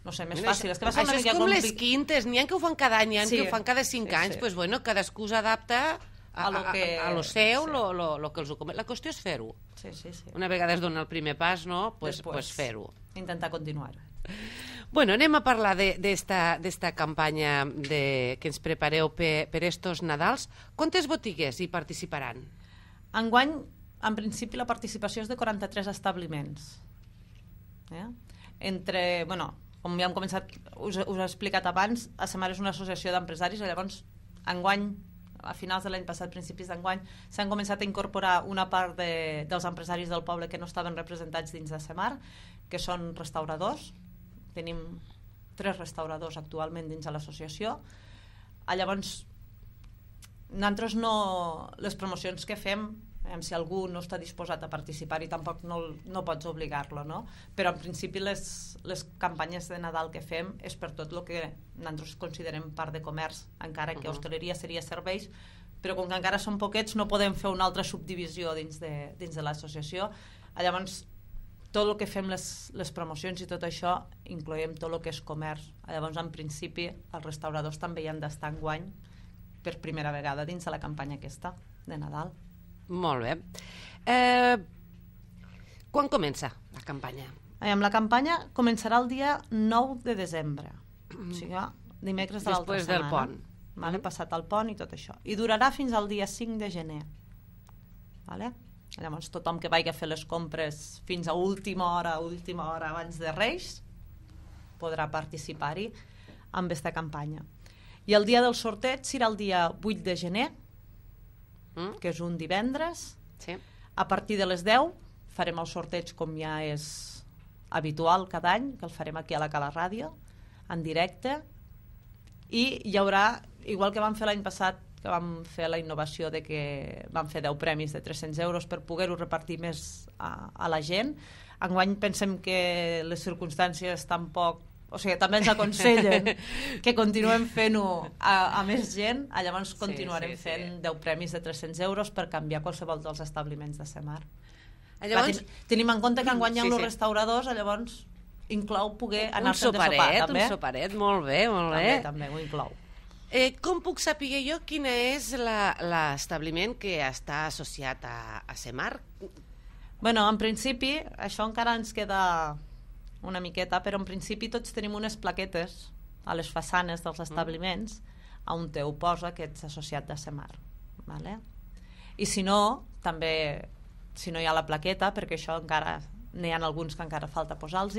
no sé, més fàcil. És que això és com complic... les quintes, n'hi ha que ho fan cada any, n'hi ha sí, que ho fan cada cinc sí, anys, sí. Pues, bueno, cadascú s'adapta a, a, lo que... a, a lo seu, sí. lo, lo, lo que els ho comet. La qüestió és fer-ho. Sí, sí, sí. Una vegada es dona el primer pas, no? Pues, pues fer-ho. Intentar continuar. Bueno, anem a parlar d'esta campanya de, que ens prepareu per, per estos Nadals. Quantes botigues hi participaran? Enguany, en principi, la participació és de quaranta-tres establiments. Eh? Entre, bueno, com ja hem començat, us, us he explicat abans, A Semar és una associació d'empresaris, llavors, enguany, a finals de l'any passat, principis d'enguany, s'han començat a incorporar una part de, dels empresaris del poble que no estaven representats dins de Semar, que són restauradors. Tenim tres restauradors actualment dins de l'associació. Llavors, nosaltres no... Les promocions que fem, si algú no està disposat a participar i tampoc no, no pots obligar-lo, no? Però en principi les, les campanyes de Nadal que fem és per tot el que nosaltres considerem part de comerç, encara que uh-huh. hostaleria seria serveis, però com que encara són poquets no podem fer una altra subdivisió dins de, dins de l'associació. Llavors, tot el que fem les, les promocions i tot això incloem tot el que és comerç. Llavors, en principi, els restauradors també hi han d'estar enguany per primera vegada dins de la campanya aquesta de Nadal. Molt bé. Eh, quan comença la campanya? Amb la campanya començarà el dia nou de desembre, o sigui, dimecres de l'altra setmana. Després del pont. Vale? Passat el pont i tot això. I durarà fins al dia cinc de gener. Vale? Llavors tothom que vagi a fer les compres fins a última hora, última hora abans de Reis, podrà participar-hi amb aquesta campanya. I el dia del sorteig serà el dia vuit de gener, mm. que és un divendres. Sí. A partir de les deu farem el sorteig com ja és habitual cada any, que el farem aquí a la Cala Ràdio, en directe, i hi haurà, igual que vam fer l'any passat, que vam fer la innovació de que vam fer deu premis de tres-cents euros per poder-ho repartir més a, a la gent. Enguany pensem que les circumstàncies tampoc, o sigui, també ens aconsellen que continuem fent-ho a, a més gent, llavors continuarem sí, sí, fent sí. deu premis de tres-cents euros per canviar qualsevol dels establiments de Semar. Llavors, ten, tenim en compte que enguany hi ha sí, els sí. restauradors, llavors inclou poder anar-se'n de sopar. També. Un soperet, molt bé, molt bé. També, també ho inclou. Eh, com puc saber jo quin és l'establiment que està associat a, a Semar? Bueno, en principi, això encara ens queda una miqueta, però en principi tots tenim unes plaquetes a les façanes dels establiments mm. on te ho posa que ets associat de Semar. Vale? I si no, també, si no hi ha la plaqueta, perquè això encara n'hi ha alguns que encara falta posar-los,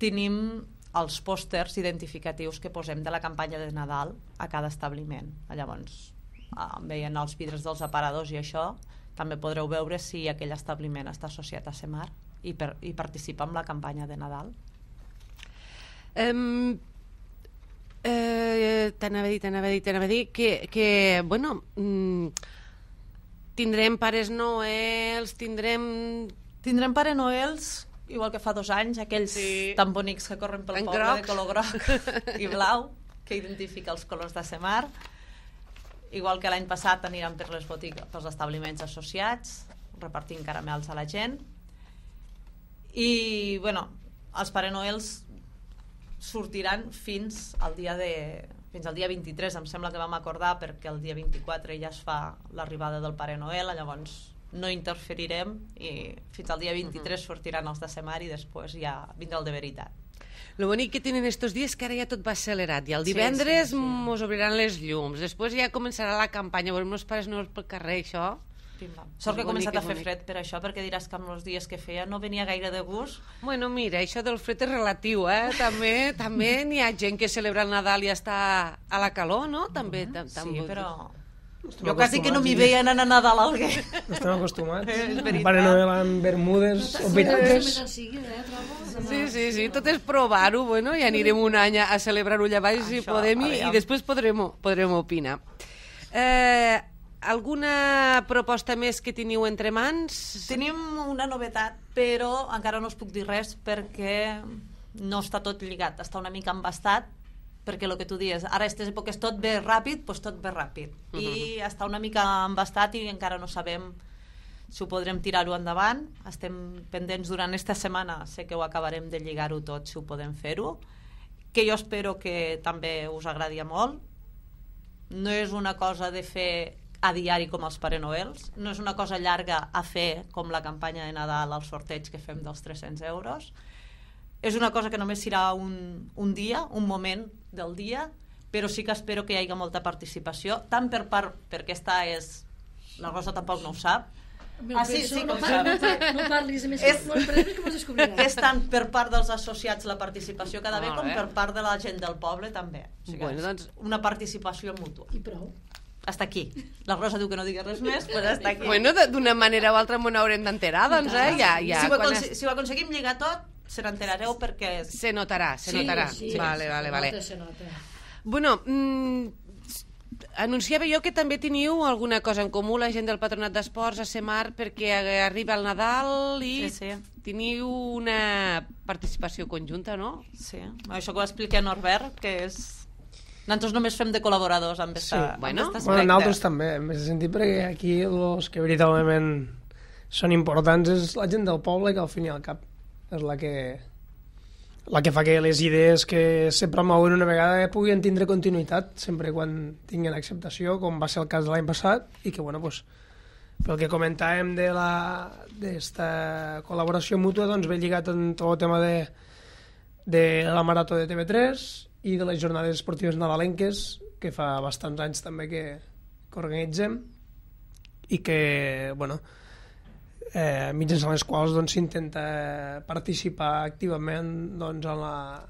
tenim els pòsters identificatius que posem de la campanya de Nadal a cada establiment. Llavors, veient els vidres dels aparadors i això, també podreu veure si aquell establiment està associat a Semar i, per, i participa en la campanya de Nadal. Um, eh, t'anava a dir, t'anava a dir, t'anava a dir que, que bueno, mm, tindrem Pares Noels, tindrem... Tindrem Pare Noels, igual que fa dos anys, aquells sí. tan bonics que corren pel en poble grocs. de color groc i blau, que identifica els colors de Semar. Igual que l'any passat aniran per les botigues, pels establiments associats, repartint caramels a la gent. I, bueno, els Pare Noels sortiran fins al dia de... fins al dia vint-i-tres, em sembla que vam acordar, perquè el dia vint-i-quatre ja es fa l'arribada del Pare Noel, llavors no interferirem i fins al dia vint-i-tres sortiran els de Semar i després ja vindrà el de veritat. Lo bonic que tenen estos dies que ara ja tot va accelerat i el divendres sí, sí, sí. mos obriran les llums, després ja començarà la campanya, veurem els Pares Noels pel carrer, això. Sort que ha començat a fer fred per això, perquè diràs que amb els dies que feia no venia gaire de gust. Bueno, mira, això del fred és relatiu, eh? També també n'hi ha gent que celebra el Nadal i està a la calor, no? També, uh -huh. tam, sí, però... Jo quasi que no m'hi veien anar a Nadal a Alguer. Estem acostumats. El Pare Noel amb bermudes o pirates. Sí, sí, sí, tot és provar-ho, bueno, i anirem un any a celebrar-ho allà baix si podem i, i després podrem, podrem opinar. Eh, alguna proposta més que teniu entre mans? Tenim una novetat, però encara no us puc dir res perquè no està tot lligat, està una mica embastat, perquè el que tu dius, ara aquestes èpoques tot ve ràpid, doncs tot ve ràpid. Uh -huh. I està una mica embastat i encara no sabem si ho podrem tirar-ho endavant. Estem pendents durant aquesta setmana, sé que ho acabarem de lligar-ho tot, si ho podem fer-ho, que jo espero que també us agradi molt. No és una cosa de fer a diari com els Pare Noels, no és una cosa llarga a fer com la campanya de Nadal, el sorteig que fem dels tres-cents euros. És una cosa que només serà un, un dia, un moment del dia, però sí que espero que hi hagi molta participació, tant per part, perquè aquesta és... La Rosa tampoc no ho sap. Ah, sí, sí, no, par no, par no parlis, més és, que mos descobriràs. És tant per part dels associats la participació que ha d'haver, com per part de la gent del poble també. O sigui, bueno, doncs... una participació mútua. I prou. Hasta aquí. La Rosa diu que no digui res més, però hasta aquí. Bueno, d'una manera o altra m'ho haurem d'enterar, doncs, eh? Ja, ja, si, ho es... si ho aconseguim lligar tot, se n'enterareu perquè... Se notarà, se sí, notarà. Sí, vale, sí, vale, se vale. nota, se nota. Bueno, mmm, anunciava jo que també teniu alguna cosa en comú, la gent del Patronat d'Esports a Semar, perquè arriba el Nadal i sí, sí. teniu una participació conjunta, no? Sí, això que ho explica Norbert, que és... Nosaltres només fem de col·laboradors amb aquesta, sí. bueno, amb bueno, nosaltres també, en aquest sentit, perquè aquí els que veritablement són importants és la gent del poble, que al fin i al cap és la que la que fa que les idees que se promouen una vegada puguin tindre continuïtat sempre quan tinguin acceptació, com va ser el cas de l'any passat, i que, bueno, pues, pel que comentàvem de d'esta col·laboració mútua, doncs ve lligat en tot el tema de, de la marató de T V tres i de les jornades esportives nadalenques, que fa bastants anys també que, que organitzem, i que, bueno, eh, mitjançant les quals doncs, s'intenta participar activament doncs, en la,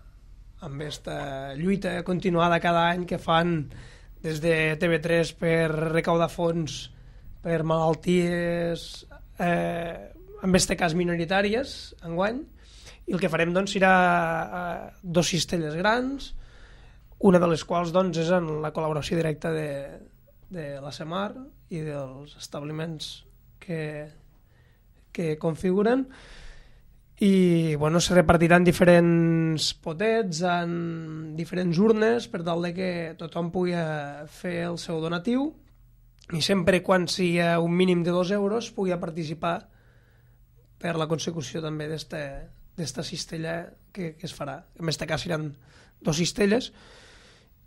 amb aquesta lluita continuada cada any que fan des de T V tres per recaudar fons per malalties, eh, en aquest cas minoritàries, enguany, i el que farem doncs, serà eh, dos cistelles grans, una de les quals doncs, és en la col·laboració directa de, de la Semar i dels establiments que, que configuren, i bueno, se repartiran diferents potets en diferents urnes per tal de que tothom pugui fer el seu donatiu, i sempre quan sigui un mínim de dos euros pugui participar per la consecució també d'esta cistella que, que es farà. En aquest cas seran dos cistelles,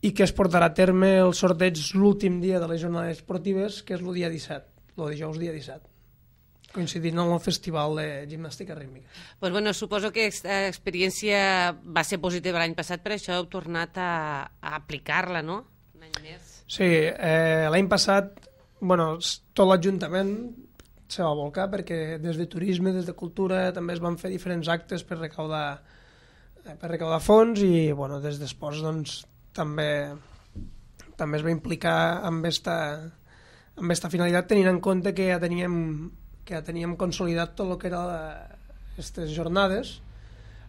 i que es portarà a terme el sorteig l'últim dia de les jornades esportives, que és el dia disset, el dijous dia disset, coincidint amb el festival de gimnàstica rítmica. Pues bueno, suposo que aquesta experiència va ser positiva l'any passat, per això heu tornat a, a aplicar-la, no? any més. Sí, eh, l'any passat, bueno, tot l'Ajuntament se va volcar perquè des de turisme, des de cultura, també es van fer diferents actes per recaudar, per recaudar fons i, bueno, des d'esports, doncs, també, també es va implicar amb esta, amb esta finalitat, tenint en compte que ja teníem, que ja teníem consolidat tot el que era aquestes jornades,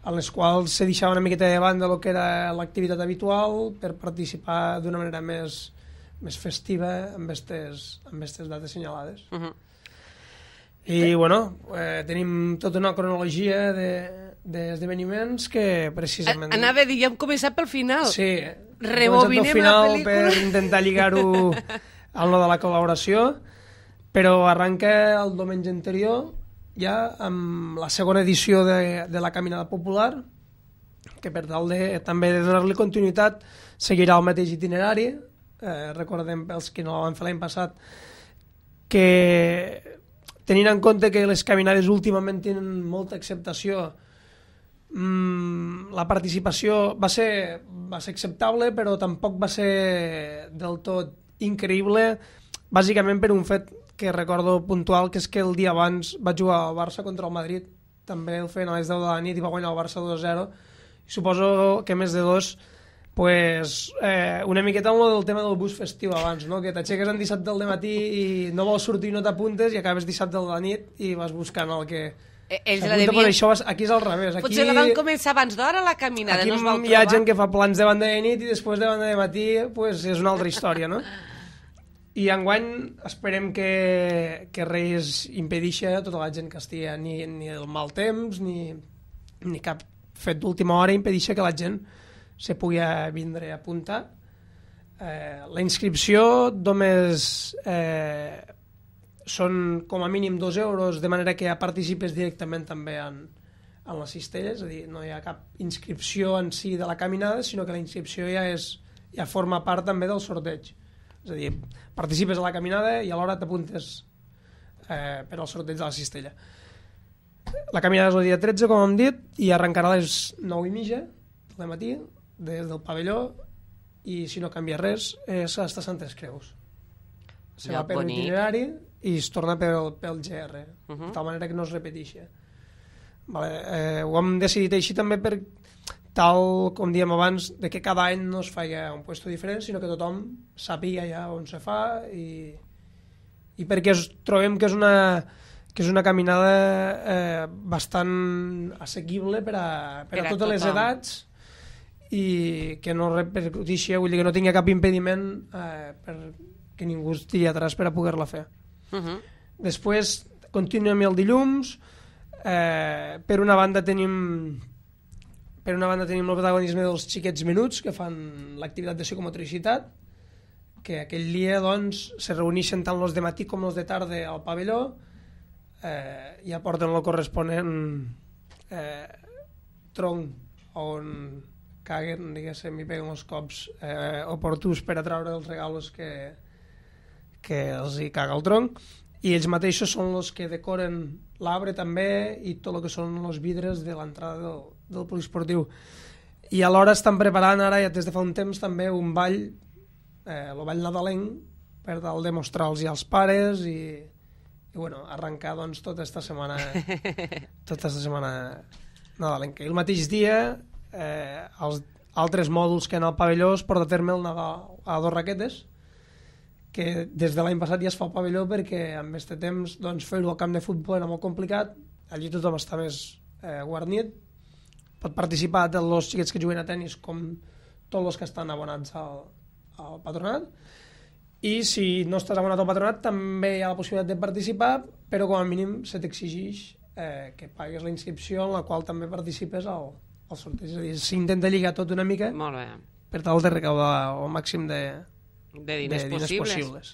en les quals se deixava una miqueta de banda el que era l'activitat habitual per participar d'una manera més, més festiva amb aquestes amb aquestes dates assenyalades. Uh-huh. I, bueno, eh, tenim tota una cronologia d'esdeveniments de, que precisament... Anava a dir, ja hem començat pel final. Sí, rebobinem pel final la pel·lícula. Per intentar lligar-ho al no de la col·laboració, però arranca el diumenge anterior ja amb la segona edició de, de la Caminada Popular, que per tal de, també de donar-li continuïtat seguirà el mateix itinerari. Eh, recordem pels que no l'han fet l'any passat que, tenint en compte que les caminades últimament tenen molta acceptació, mmm, la participació va ser, va ser acceptable, però tampoc va ser del tot increïble, bàsicament per un fet que recordo puntual, que és que el dia abans vaig jugar al Barça contra el Madrid, també el feien a les deu de la nit i va guanyar el Barça dos a zero, i suposo que més de dos, pues, eh, una miqueta amb el tema del bus festiu abans, no? Que t'aixeques en dissabte del matí i no vols sortir i no t'apuntes i acabes dissabte de la nit i vas buscant el que... Ells la devien... Pues això, aquí és al revés. Aquí... Potser la van començar abans d'hora la caminada, aquí no es vau hi ha trobar. gent que fa plans de banda de nit i després de banda de matí pues, és una altra història, no? I enguany esperem que, que res impedeixi a tota la gent que estigui ni, ni el mal temps ni, ni cap fet d'última hora impedeixi que la gent se pugui vindre a apuntar. Eh, la inscripció només eh, són com a mínim dos euros, de manera que ja participes directament també en, en les cistelles, és a dir, no hi ha cap inscripció en si de la caminada, sinó que la inscripció ja, és, ja forma part també del sorteig. És a dir, participes a la caminada i alhora t'apuntes eh, per al sorteig de la cistella. La caminada és el dia tretze, com hem dit, i arrencarà a les nou i mitja del matí, des del pavelló, i si no canvia res, és hasta Santes Creus. Se va per l'itinerari i es torna pel, pel G R, uh-huh. de tal manera que no es repeteixi. Vale, eh, ho hem decidit així també per tal, com diem abans, de que cada any no es faci un puesto diferent, sinó que tothom sàpiga ja on se fa i, i perquè es, trobem que és una, que és una caminada eh, bastant assequible per a, per a totes les edats i que no repercutixi, vull dir que no tingui cap impediment eh, per que ningú estigui atrás per a poder-la fer. Uh-huh. Després continuem el dilluns, eh, per una banda tenim Per una banda tenim el protagonisme dels xiquets menuts que fan l'activitat de psicomotricitat, que aquell dia doncs, se reuneixen tant els de matí com els de tarda al pavelló eh, i aporten el corresponent eh, tronc on caguen, diguéssim, i peguen els cops eh, oportuns per a treure els regalos que, que els hi caga el tronc, i ells mateixos són els que decoren l'arbre també i tot el que són els vidres de l'entrada del, del poliesportiu. I alhora estan preparant ara, ja des de fa un temps, també un ball, eh, el ball nadalenc, per tal de mostrar-los als pares i, i bueno, arrencar doncs, tota aquesta setmana tota aquesta setmana nadalenca. I el mateix dia, eh, els altres mòduls que en el pavelló es porta a terme el Nadal a dos raquetes, que des de l'any passat ja es fa al pavelló perquè amb aquest temps doncs, fer-ho al camp de futbol era molt complicat, allí tothom està més eh, guarnit, pot participar tant els xiquets que juguen a tennis com tots els que estan abonats al, al patronat, i si no estàs abonat al patronat també hi ha la possibilitat de participar, però com a mínim se t'exigeix eh, que pagues la inscripció en la qual també participes al, al sorteig, és a dir, s'intenta lligar tot una mica per tal de recaudar el màxim de de diners, de diners possibles, possibles.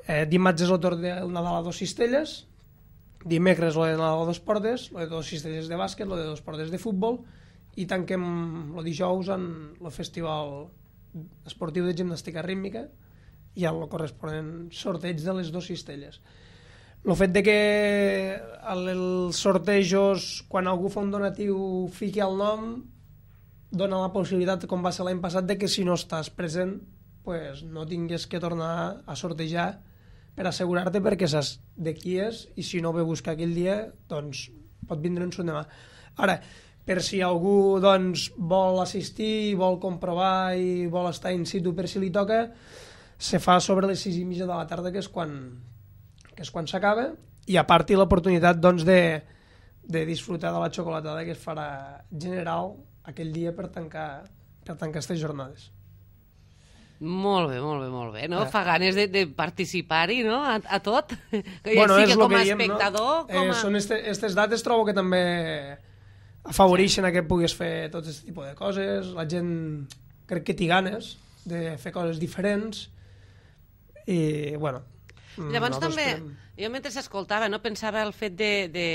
Eh, dimarts és el torn del Nadal a dos cistelles, dimecres el de Nadal a dos portes, el de dos cistelles de bàsquet, el de dos portes de futbol, i tanquem el dijous en el festival esportiu de gimnàstica rítmica i el corresponent sorteig de les dues cistelles. El fet de que els sortejos, quan algú fa un donatiu fiqui el nom, dona la possibilitat, com va ser l'any passat, de que si no estàs present pues, no tingués que tornar a sortejar per assegurar-te perquè saps de qui és i si no ve a buscar aquell dia, doncs pot vindre un demà. Ara, per si algú doncs, vol assistir, vol comprovar i vol estar in situ per si li toca, se fa sobre les sis i mitja de la tarda, que és quan, que és quan s'acaba, i a part l'oportunitat doncs, de, de disfrutar de la xocolatada que es farà general aquell dia per tancar, per tancar aquestes jornades. Molt bé, molt bé, molt bé, no? Eh. Fa ganes de, de participar-hi, no?, a, a tot. Que bueno, sigui és com a diem, espectador, no? com a... Eh, són aquestes dates, trobo que també afavoreixen sí. que puguis fer tot aquest tipus de coses, la gent crec que té ganes de fer coses diferents i, bueno... Llavors també, esperem... jo mentre s'escoltava, no, pensava el fet de, de...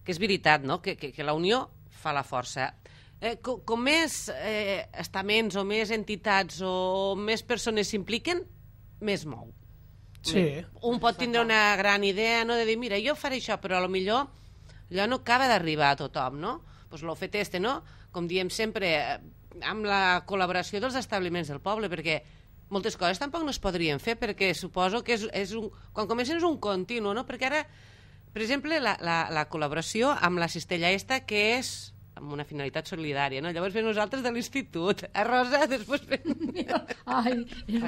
que és veritat, no?, que, que, que la unió fa la força. Eh, com, com més eh, estaments o més entitats o més persones s'impliquen, més mou. Sí. Un pot tindre una gran idea, no?, de dir, mira, jo faré això, però a lo millor allò no acaba d'arribar a tothom, no? Pues lo fet este, no? Com diem sempre, amb la col·laboració dels establiments del poble, perquè moltes coses tampoc no es podrien fer, perquè suposo que és, és un, quan comencen és un continu, no? Perquè ara, per exemple, la, la, la col·laboració amb la cistella esta, que és amb una finalitat solidària, no? Llavors ve nosaltres de l'institut, a Rosa, després fem... Ai,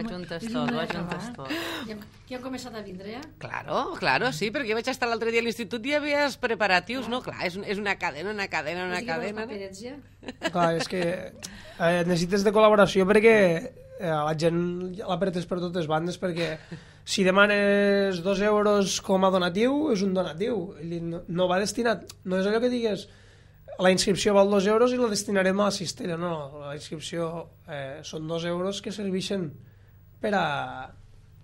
ajuntes tot, ho ajuntes tot. Ja, ja hem començat a vindre, ja? Claro, claro, sí, perquè jo vaig estar l'altre dia a l'institut i hi havia els preparatius, no? Clar, és, és una cadena, una cadena, una cadena. Paperets, ja? Clar, és que eh, necessites de col·laboració perquè eh, la gent l'apretes per totes bandes, perquè si demanes dos euros com a donatiu, és un donatiu, no, no va destinat, no és allò que digues la inscripció val dos euros i la destinarem a la cistella, no, la inscripció eh, són dos euros que serveixen per a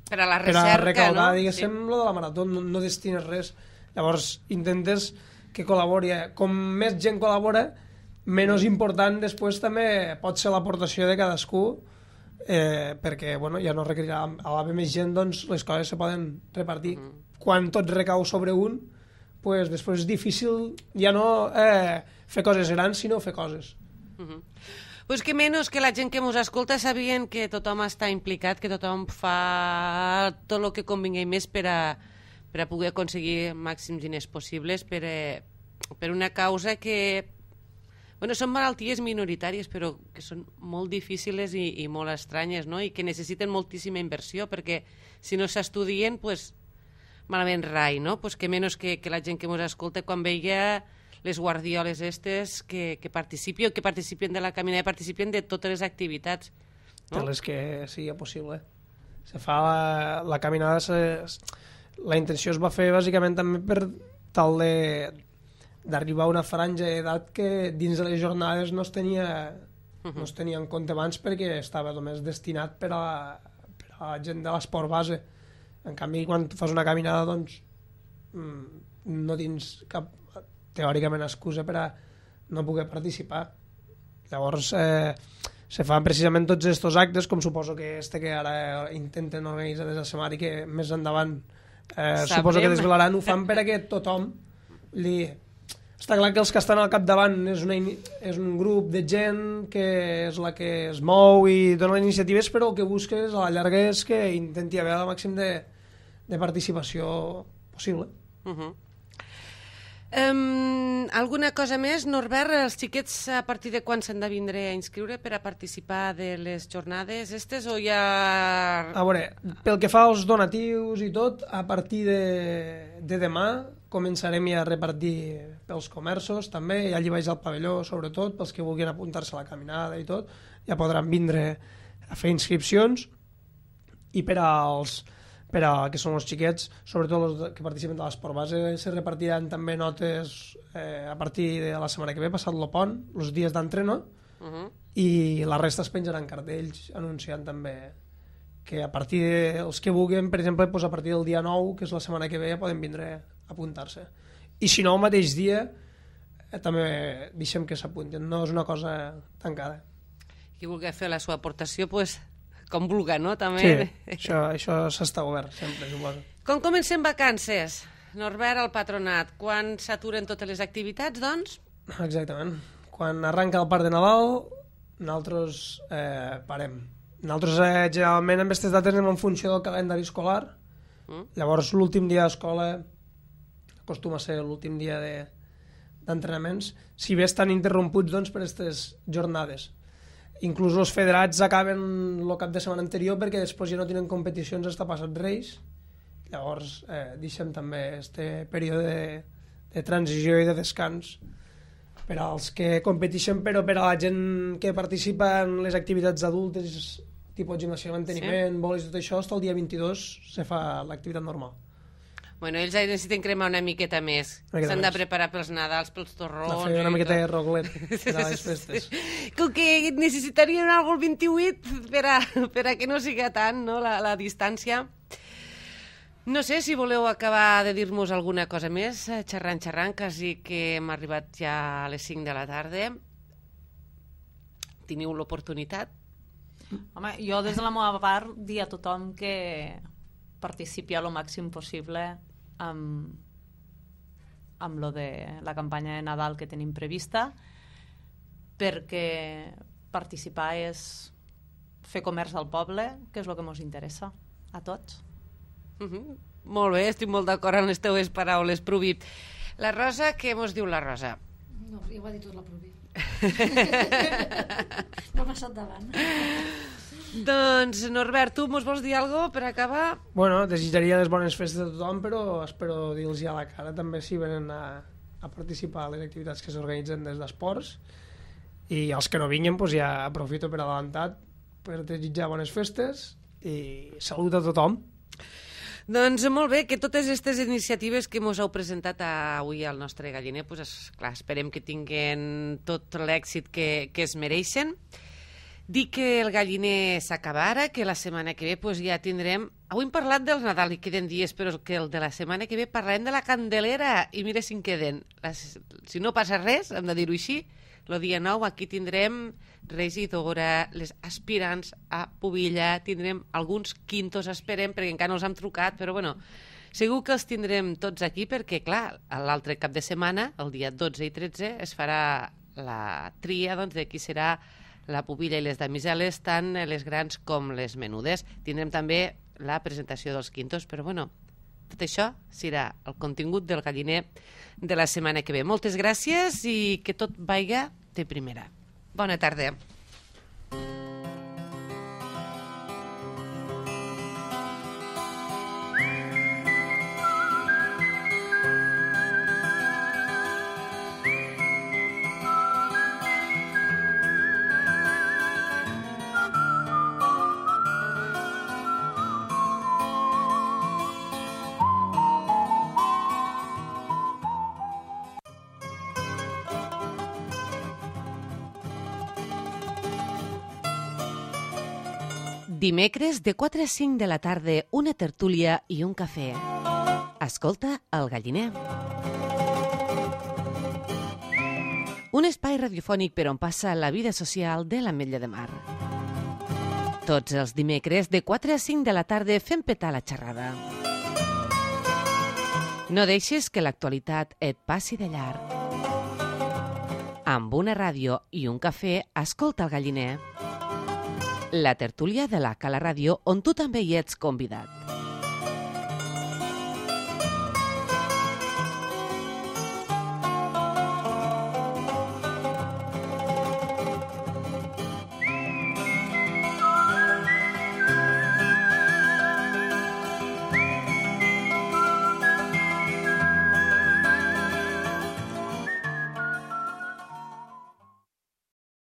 per a la recerca, per a recaudar, no? diguéssim, sí. Lo de la marató, no, no destines res. Llavors intentes que col·labori. Com més gent col·labora, menys important després també pot ser l'aportació de cadascú, eh, perquè bueno, ja no requerirà, a l'haver més gent, doncs les coses se poden repartir. Mm. Quan tot recau sobre un, pues després és difícil ja no eh, fer coses grans, sinó fer coses. Uh -huh. Pues que menys que la gent que ens escolta sabien que tothom està implicat, que tothom fa tot el que convingui més per a, per a poder aconseguir màxims diners possibles per, a, per una causa que... Bueno, són malalties minoritàries, però que són molt difícils i, i molt estranyes, no? I que necessiten moltíssima inversió, perquè si no s'estudien, pues, malament rai, no? Pues que menys que, que la gent que ens escolta quan veia les guardioles estes que, que participen, que participen de la caminada, participen de totes les activitats. No? De les que sigui possible. Se fa la, la caminada, se, la intenció es va fer bàsicament també per tal de d'arribar a una franja d'edat que dins de les jornades no es tenia, uh -huh. no es tenia en compte abans perquè estava només destinat per a, per a la gent de l'esport base. En canvi, quan fas una caminada, doncs, no tens cap, teòricament, excusa per a no poder participar. Llavors, eh, se fan precisament tots aquests actes, com suposo que este que ara intenten organitzar des de Semari, que més endavant eh, suposo que desvelaran, ho fan per a que tothom li... Està clar que els que estan al capdavant és, una, és un grup de gent que és la que es mou i dona iniciatives, però el que busques a la llarga és que intenti haver el màxim de, de participació possible. Uh -huh. um, alguna cosa més, Norbert? Els xiquets a partir de quan s'han de vindre a inscriure per a participar de les jornades estes o ja... A veure, pel que fa als donatius i tot, a partir de, de demà començarem ja a repartir pels comerços també, ja allí vaig al pavelló sobretot, pels que vulguin apuntar-se a la caminada i tot, ja podran vindre a fer inscripcions, i per als per a que són els xiquets, sobretot els que participen de l'esport base, se repartiran també notes eh, a partir de la setmana que ve, passat el pont, els dies d'entreno, uh -huh. i la resta es penjaran cartells anunciant també que a partir dels que vulguin, per exemple, doncs a partir del dia nou, que és la setmana que ve, ja poden vindre a apuntar-se. I si no, el mateix dia eh, també deixem que s'apuntin, no és una cosa tancada. Qui vulgui fer la seva aportació, pues, com vulga, no? També... Sí, això, això s'està obert sempre, suposo. Com comencem vacances, Norbert, al patronat? Quan s'aturen totes les activitats, doncs? Exactament. Quan arranca el parc de Nadal, nosaltres eh, parem. Nosaltres eh, generalment en aquestes dates anem en funció del calendari escolar. Mm. Llavors l'últim dia d'escola acostuma a ser l'últim dia de, d'entrenaments, si bé estan interromputs doncs, per aquestes jornades. Inclús els federats acaben el cap de setmana anterior perquè després ja no tenen competicions hasta passat Reis. Llavors eh, deixem també aquest període de, de transició i de descans per als que competeixen, però per a la gent que participa en les activitats adultes, tipus gimnasia de manteniment, sí. Bolis, tot això, fins al dia vint-i-dos se fa l'activitat normal. Bueno, ells necessiten cremar una miqueta més. S'han de preparar pels Nadals, pels torrons... De fer una miqueta de roglet per a les festes. Com que necessitarien algo el vint-i-vuit per a, per a que no siga tant, no?, la, la distància. No sé si voleu acabar de dir-nos alguna cosa més, xerrant, xerrant, quasi que hem arribat ja a les cinc de la tarda. Teniu l'oportunitat? Home, jo des de la meva part dir a tothom que participi al màxim possible amb, amb lo de la campanya de Nadal que tenim prevista, perquè participar és fer comerç al poble, que és el que ens interessa a tots. Uh -huh. Molt bé, estic molt d'acord amb les teves paraules, Pruvi. La Rosa, què mos diu la Rosa? No, ja ho ha dit tot la Pruvi. M'ha passat davant. Doncs, Norbert, tu mos vols dir alguna cosa per acabar? Bueno, desitjaria les bones festes a tothom, però espero dir-los ja a la cara també si venen a, a participar a les activitats que s'organitzen des d'esports, i els que no vinguin doncs ja aprofito per adelantat per desitjar bones festes i salut a tothom. Doncs molt bé, que totes aquestes iniciatives que mos heu presentat avui al nostre galliner, doncs, esclar, esperem que tinguin tot l'èxit que, que es mereixen. Dic que el galliner s'acaba ara, que la setmana que ve doncs, ja tindrem... Avui hem parlat del Nadal i queden dies, però que el de la setmana que ve parlarem de la Candelera, i mira si en queden. Les, si no passa res, hem de dir-ho així, el dia nou aquí tindrem regidora, les aspirants a pubilla, tindrem alguns quintos, esperem, perquè encara no els hem trucat, però bueno, segur que els tindrem tots aquí perquè, clar, l'altre cap de setmana, el dia dotze i tretze, es farà la tria doncs, de qui serà la pubilla i les damiseles, tant les grans com les menudes. Tindrem també la presentació dels quintos, però bueno, tot això serà el contingut del galliner de la setmana que ve. Moltes gràcies i que tot vaiga de primera. Bona tarda. Dimecres, de quatre a cinc de la tarda, una tertúlia i un cafè. Escolta el galliner. Un espai radiofònic per on passa la vida social de l'Ametlla de Mar. Tots els dimecres, de quatre a cinc de la tarda, fem petar la xerrada. No deixis que l'actualitat et passi de llarg. Amb una ràdio i un cafè, escolta el galliner. La tertúlia de la Cala Ràdio, on tu també hi ets convidat.